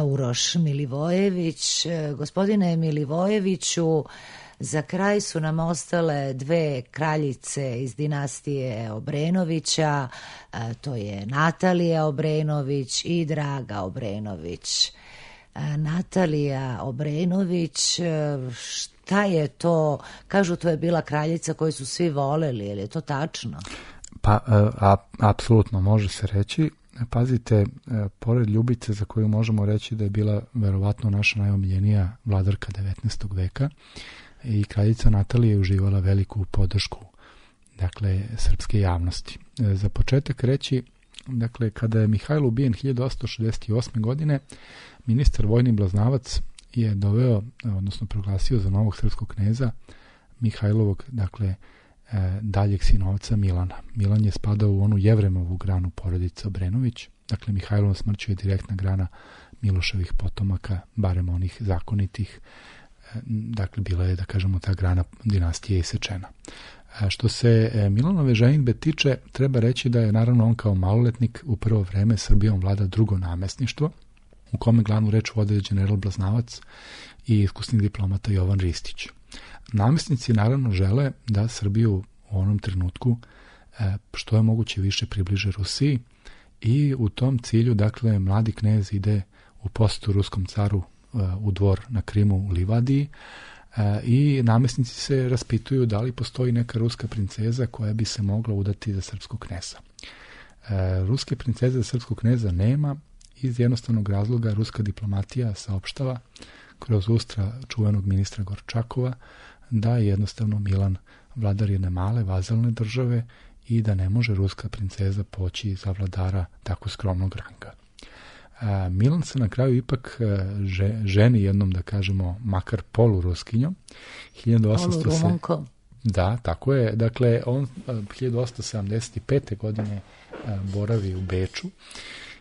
Uroš Milivojević. Gospodine Milivojeviću, za kraj su nam ostale 2 kraljice iz dinastije Obrenovića, to je Natalija Obrenović i Draga Obrenović. Natalija Obrenović, šta je to? Kažu, to je bila kraljica koju su svi voleli, je li je to tačno? Pa, apsolutno može se reći. pazite, pored Ljubice, za koju možemo reći da je bila verovatno naša najomiljenija vladarka 19. veka, i kraljica Natalija je uživala veliku podršku, dakle, srpske javnosti. Za početak reći, dakle, kada je Mihajlo ubijen 1868. godine, ministar vojni Blaznavac je doveo, odnosno proglasio za novog srpskog kneza Mihajlovog, dakle, daljeg sinovca Milana. Milan je spadao u onu Jevremovu granu porodice Obrenović, dakle, Mihajlova smrću je direktna grana Miloševih potomaka, barem onih zakonitih, dakle, bila je, da kažemo, ta grana dinastije isečena. Što se Milanove ženidbe tiče, treba reći da je naravno on kao maloletnik u prvo vreme Srbijom vlada drugo namestništvo, u kome glavnu reč vode general Blaznavac i iskusni diplomata Jovan Ristić. Namestnici naravno žele da Srbiju u onom trenutku što je moguće više približe Rusiji i u tom cilju, dakle, mladi knez ide u posetu ruskom caru u dvor na Krimu u Livadiji i namestnici se raspituju da li postoji neka ruska princeza koja bi se mogla udati za srpskog kneza. Ruske princeze za srpskog kneza nema, iz jednostavnog razloga ruska diplomatija saopštava kroz ustra čuvenog ministra Gorčakova da je jednostavno Milan vladar jedne male vazalne države i da ne može ruska princeza poći za vladara tako skromnog ranga. Milan se na kraju ipak ženi jednom, da kažemo, makar poluruskinjom. 1800 Da, tako je. Dakle, on 1875. godine boravi u Beču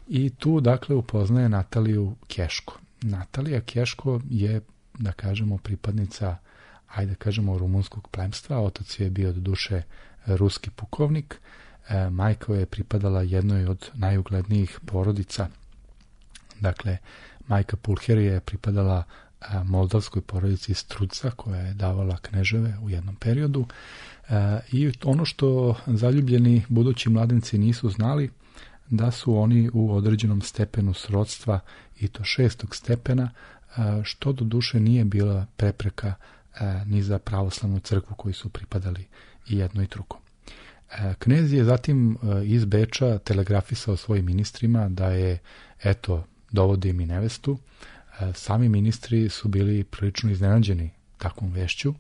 i tu, dakle, upoznaje Nataliju Keško. Natalija Keško je, da kažemo, pripadnica, ajde kažemo, rumunskog plemstva. Otac je bio do duše ruski pukovnik. Majka je pripadala jednoj od najuglednijih porodica. Dakle, majka Pulherija je pripadala moldavskoj porodici Struca, koja je davala kneževe u jednom periodu. I ono što zaljubljeni budući mladenci nisu znali, da su oni u određenom stepenu srodstva, i to 6. stepena, što do duše nije bila prepreka ni za pravoslavnu crkvu koji su pripadali i jedno i drugo. Knez je zatim iz Beča telegrafisao svojim ministrima da je, eto, dovodi im i nevestu. Sami ministri su bili prilično iznenađeni takvom vešću.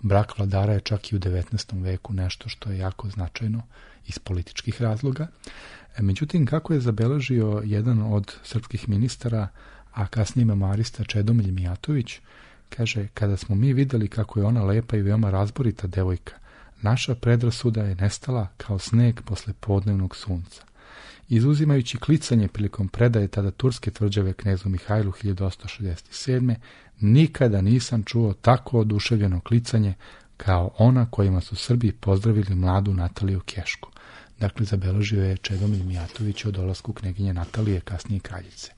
Brak vladara je čak i u 19. veku nešto što je jako značajno iz političkih razloga. Međutim, kako je zabeležio jedan od srpskih ministara, a kasnije memoarista Čedomilj Mijatović, kaže, kada smo mi videli kako je ona lepa i veoma razborita devojka, naša predrasuda je nestala kao sneg posle podnevnog sunca. Izuzimajući klicanje prilikom predaje tada turske tvrđave knezu Mihajlu 1867. nikada nisam čuo tako oduševljeno klicanje kao ona kojima su Srbi pozdravili mladu Nataliju Keško. Dakle, zabeležio je Čedomilj Mijatović o dolasku kneginje Natalije, kasnije kraljice.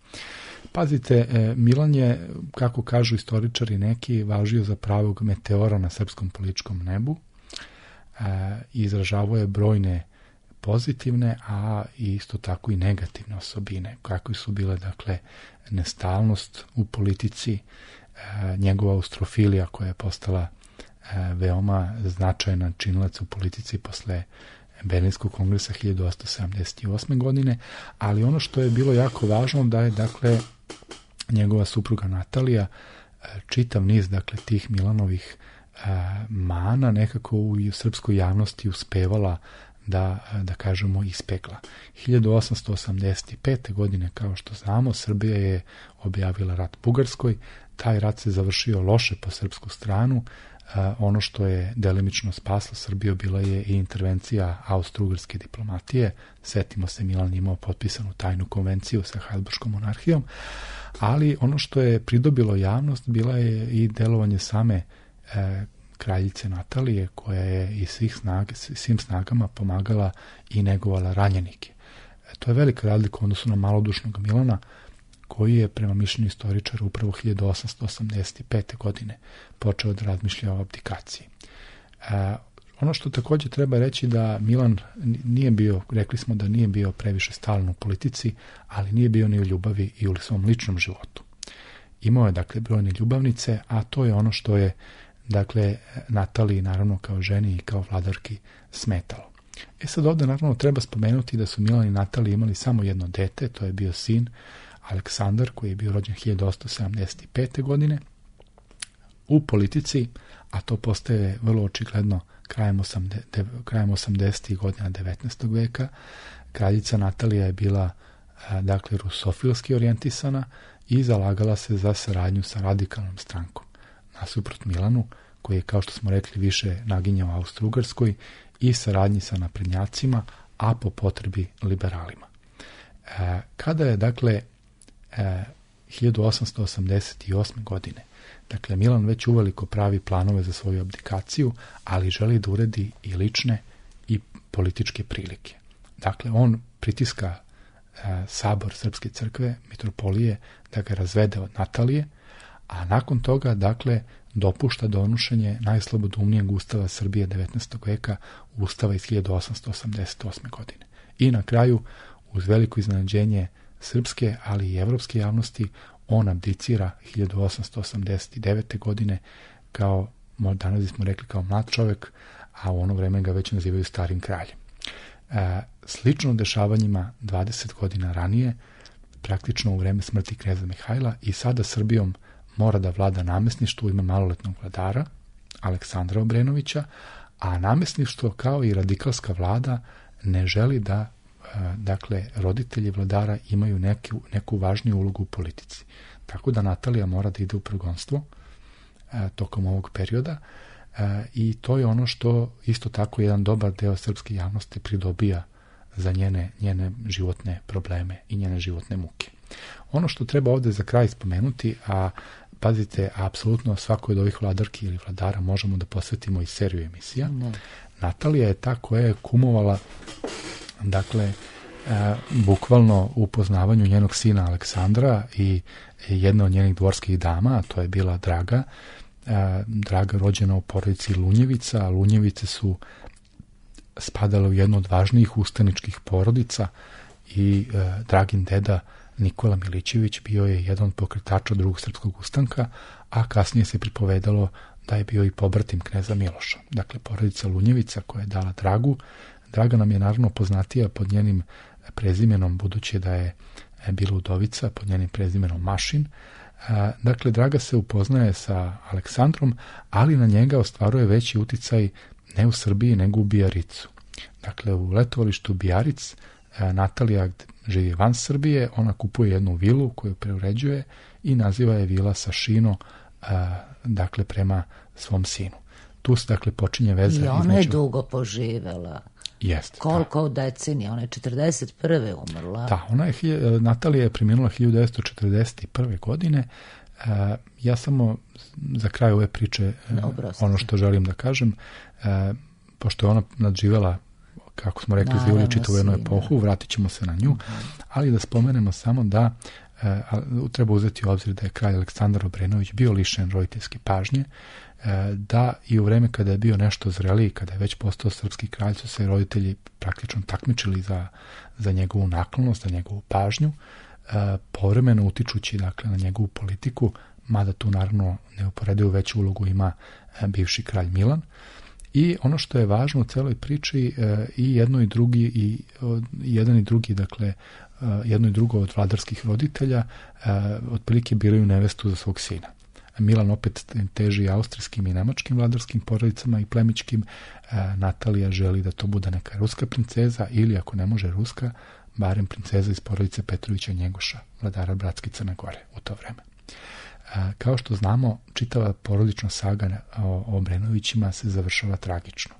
Pazite, Milan je, kako kažu istoričari neki, važio za pravog meteora na srpskom političkom nebu. Izražavao je brojne pozitivne, a isto tako i negativne osobine, kakve su bile, dakle, nestalnost u politici, njegova austrofilija koja je postala veoma značajna činilac u politici posle Berlinskog kongresa 1878. godine, ali ono što je bilo jako važno da je, dakle, njegova supruga Natalija čitav niz, dakle, tih Milanovih mana nekako u srpskoj javnosti uspevala da kažemo, ispekla. 1885. godine, kao što znamo, Srbija je objavila rat Bugarskoj. Taj rat se završio loše po srpsku stranu. Ono što je delimično spaslo Srbiju bila je i intervencija austro-ugarske diplomatije. Setimo se, Milan imao potpisanu tajnu konvenciju sa Habsburškom monarhijom, ali ono što je pridobilo javnost bila je i delovanje same kraljice Natalije, koja je i svim snagama pomagala i negovala ranjenike. To je velika razlika u odnosu na malodušnog Milana, koji je, prema mišljenju istoričara, upravo 1885. godine počeo da razmišlja o abdikaciji. Ono što također treba reći da Milan nije bio, rekli smo da nije bio previše stalan u politici, ali nije bio ni u ljubavi i u svom ličnom životu. Imao je, dakle, brojne ljubavnice, a to je ono što je, dakle, Nataliji, naravno, kao ženi i kao vladarki smetalo. Sad ovdje naravno treba spomenuti da su Milan i Natalija imali samo jedno dete, to je bio sin Aleksandar, koji je bio rođen 1875. godine. U politici, a to postaje vrlo očigledno krajem 80. godina 19. veka, kraljica Natalija je bila dakle rusofilski orijentisana i zalagala se za saradnju sa radikalnom strankom. Nasuprot Milanu, koji je, kao što smo rekli, više naginjao Austro-Ugarskoj i saradnji sa naprednjacima, a po potrebi liberalima. Kada je, dakle, 1888. godine, dakle, Milan već uveliko pravi planove za svoju abdikaciju, ali želi da uredi i lične i političke prilike. Dakle, on pritiska sabor Srpske crkve, mitropolije, da ga razvede od Natalije, a nakon toga, dakle, dopušta donošenje najslobodumnijeg ustava Srbije 19. veka, ustava iz 1888. godine. I na kraju, uz veliko iznenađenje srpske, ali i evropske javnosti, on abdicira 1889. godine kao, danas smo rekli, kao mlad čovjek, a u ono vreme ga već nazivaju starim kraljem. Slično dešavanjima 20 godina ranije, praktično u vreme smrti kneza Mihajla, i sada Srbijom mora da vlada namesništvo, ima maloletnog vladara, Aleksandra Obrenovića, a namesništvo kao i radikalska vlada ne želi da dakle, roditelji vladara imaju neku važniju ulogu u politici. Tako da Natalija mora da ide u progonstvo tokom ovog perioda i to je ono što isto tako jedan dobar deo srpske javnosti pridobija za njene životne probleme i njene životne muke. Ono što treba ovdje za kraj spomenuti, a pazite, apsolutno svakoj od ovih vladarki ili vladara možemo da posvetimo i seriju emisija. Natalija je ta koja je kumovala, dakle, bukvalno u poznavanju njenog sina Aleksandra i jedna od njenih dvorskih dama, a to je bila Draga. Draga rođena u porodici Lunjevica. Lunjevice su spadale u jednu od važnijih ustaničkih porodica i Dragin deda Nikola Milićević bio je jedan od pokretača Drugog srpskog ustanka, a kasnije se pripovedalo da je bio i pobratim kneza Miloša. Dakle, porodica Lunjevica koja je dala Dragu. Draga nam je naravno poznatija pod njenim prezimenom, budući da je bila udovica, pod njenim prezimenom Mašin. Dakle, Draga se upoznaje sa Aleksandrom, ali na njega ostvaruje veći uticaj ne u Srbiji, nego u Bijaricu. Dakle, u letovalištu Bijaric Natalija živi van Srbije, ona kupuje jednu vilu koju preuređuje i naziva je vila Sašino, dakle, prema svom sinu. Tu se, dakle, počinje veza. I ona je dugo poživela. Jeste. Koliko decenija? Ona je 41. umrla. Da, Natalija je preminula 1941. godine. Ja samo za kraj ove priče ono što želim da kažem, pošto je ona nadživela, kako smo rekli, za čitavu jednu epohu, vratit ćemo se na nju, ali da spomenemo samo da treba uzeti u obzir da je kralj Aleksandar Obrenović bio lišen roditeljske pažnje, da i u vreme kada je bio nešto zreliji, kada je već postao srpski kralj, su se roditelji praktično takmičili za njegovu naklonost, za njegovu pažnju, povremeno utičući, dakle, na njegovu politiku, mada tu naravno neuporedivo veću ulogu ima bivši kralj Milan. I ono što je važno u celoj priči, i jedno i drugi, i jedan i drugi, dakle, jedno i drugo od vladarskih roditelja otprilike biraju nevestu za svog sina. Milan opet teži austrijskim i nemačkim vladarskim porodicama i plemićkim. Natalija želi da to bude neka ruska princeza, ili ako ne može ruska, barem princeza iz porodice Petrovića Njegoša, vladara bratske Crne Gore u to vreme. Kao što znamo, čitava porodična saga o Obrenovićima se završava tragično.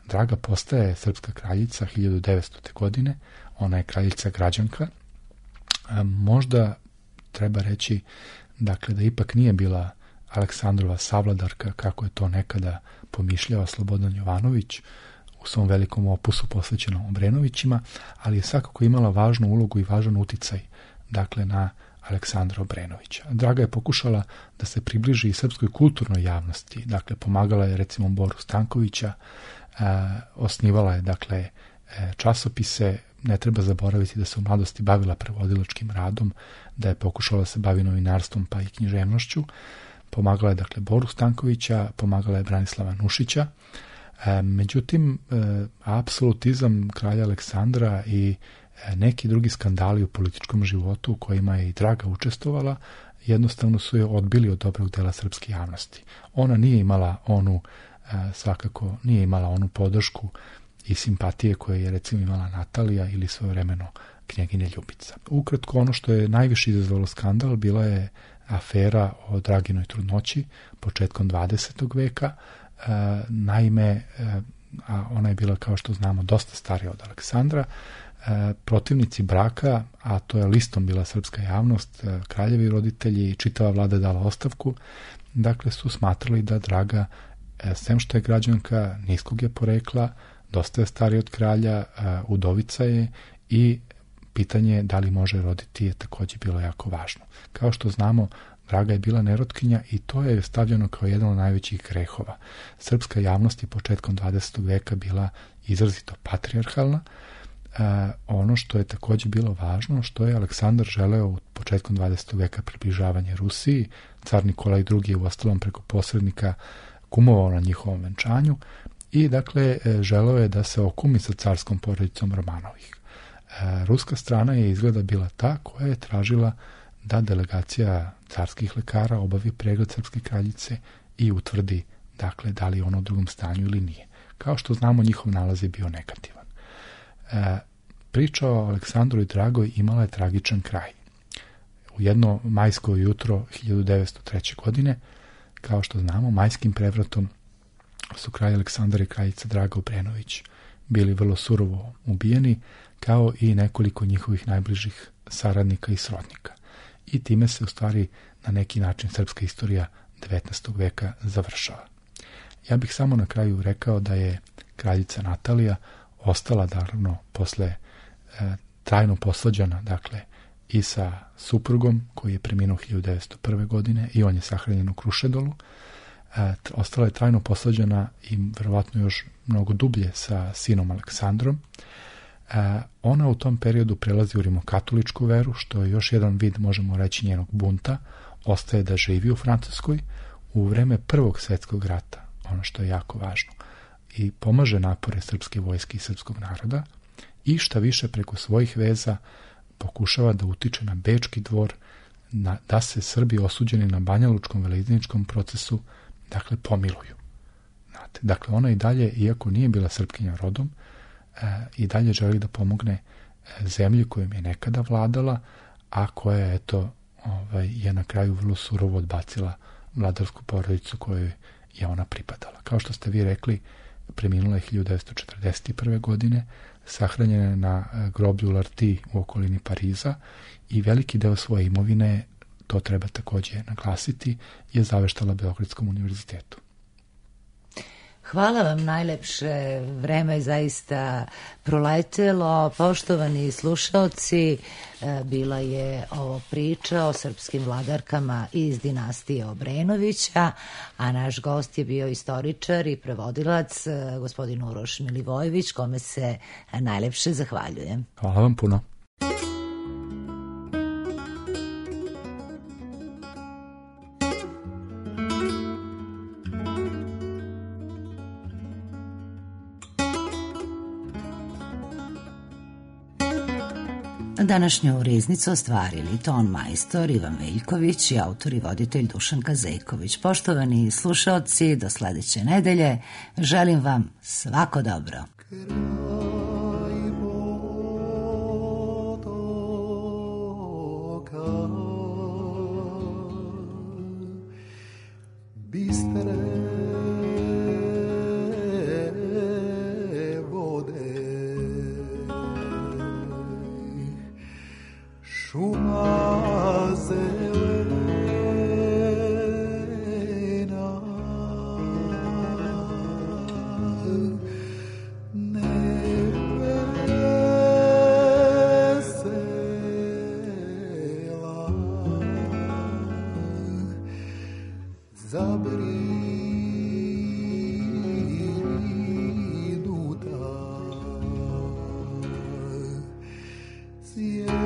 Draga postaje srpska kraljica 1900. godine, ona je kraljica građanka. Možda treba reći, dakle, da ipak nije bila Aleksandrova savladarka, kako je to nekada pomišljao Slobodan Jovanović u svom velikom opusu posvećenom Obrenovićima, ali je svakako imala važnu ulogu i važan uticaj, dakle, na Aleksandra Obrenovića. Draga je pokušala da se približi i srpskoj kulturnoj javnosti, dakle, pomagala je recimo Boru Stankovića, osnivala je, dakle, časopise. Ne treba zaboraviti da se u mladosti bavila prevodilačkim radom, da je pokušala da se bavi novinarstvom pa i književnošću. Pomagala je, dakle, Boru Stankovića, pomagala je Branislava Nušića. Međutim, apsolutizam kralja Aleksandra i neki drugi skandali u političkom životu u kojima je i Draga učestvovala, jednostavno su je odbili od dobrog dela srpske javnosti. Ona nije imala onu, svakako nije imala onu podršku i simpatije koje je recimo imala Natalija ili svojevremeno knjeginja Ljubica. Ukratko, ono što je najviše izazvalo skandal bila je afera o Draginoj trudnoći početkom 20. veka. Naime, a ona je bila, kao što znamo, dosta starija od Aleksandra. Protivnici braka, a to je listom bila srpska javnost, kraljevi roditelji i čitava vlada dala ostavku, dakle su smatrali da Draga, sem što je građanka niskog je porekla, dosta je starija od kralja, udovica je i pitanje da li može roditi je također bilo jako važno. Kao što znamo, Draga je bila nerotkinja i to je stavljeno kao jedan od najvećih grehova. Srpska javnost je početkom 20. veka bila izrazito patrijarhalna. Ono što je također bilo važno, što je Aleksandar želeo u početkom 20. veka približavanje Rusiji, car Nikolaj II je uostalom preko posrednika kumovao na njihovom venčanju i dakle želeo je da se okumi sa carskom porodicom Romanovih. Ruska strana je izgleda bila ta koja je tražila da delegacija carskih lekara obavi pregled srpske kraljice i utvrdi dakle da li je ona u drugom stanju ili nije. Kao što znamo, njihov nalaz je bio negativan. Priča o Aleksandru i Dragoj imala je tragičan kraj. U jedno majsko jutro 1903. godine, kao što znamo, majskim prevratom su kralj Aleksandar i kraljica Draga Obrenović bili vrlo surovo ubijeni, kao i nekoliko njihovih najbližih saradnika i srodnika. I time se u stvari na neki način srpska istorija 19. veka završava. Ja bih samo na kraju rekao da je kraljica Natalija ostala naravno posle trajno posvađana, dakle, i sa suprugom koji je preminuo 1901. godine i on je sahranjen u Krušedolu. Ostala je trajno posvađana i verovatno još mnogo dublje sa sinom Aleksandrom. Ona u tom periodu prelazi u rimokatoličku veru, što je još jedan vid, možemo reći, njenog bunta. Ostaje da živi u Francuskoj u vreme Prvog svjetskog rata, ono što je jako važno, i pomaže napore srpske vojske i srpskog naroda i šta više preko svojih veza pokušava da utiče na Bečki dvor da se Srbi osuđeni na Banjalučkom veleizničkom procesu dakle pomiluju. Znate, dakle ona i dalje, iako nije bila Srpkinja rodom, i dalje želi da pomogne zemlji kojom je nekada vladala, a koja eto je na kraju vrlo surovo odbacila vladarsku porodicu kojoj je ona pripadala. Kao što ste vi rekli, preminula je 1941. godine, sahranjena je na groblju Larti u okolini Pariza i veliki deo svoje imovine, to treba također naglasiti, je zaveštala Beogradskom univerzitetu. Hvala vam najlepše, vreme je zaista proletelo. Poštovani slušaoci, bila je ovo priča o srpskim vladarkama iz dinastije Obrenovića, a naš gost je bio istoričar i prevodilac gospodin Uroš Milivojević, kome se najlepše zahvaljujem. Hvala vam puno. Današnju riznicu ostvarili ton majstor Ivan Veljković i autor i voditelj Dušan Kazejković. Poštovani slušaoci, do sledeće nedelje želim vam svako dobro. Yeah.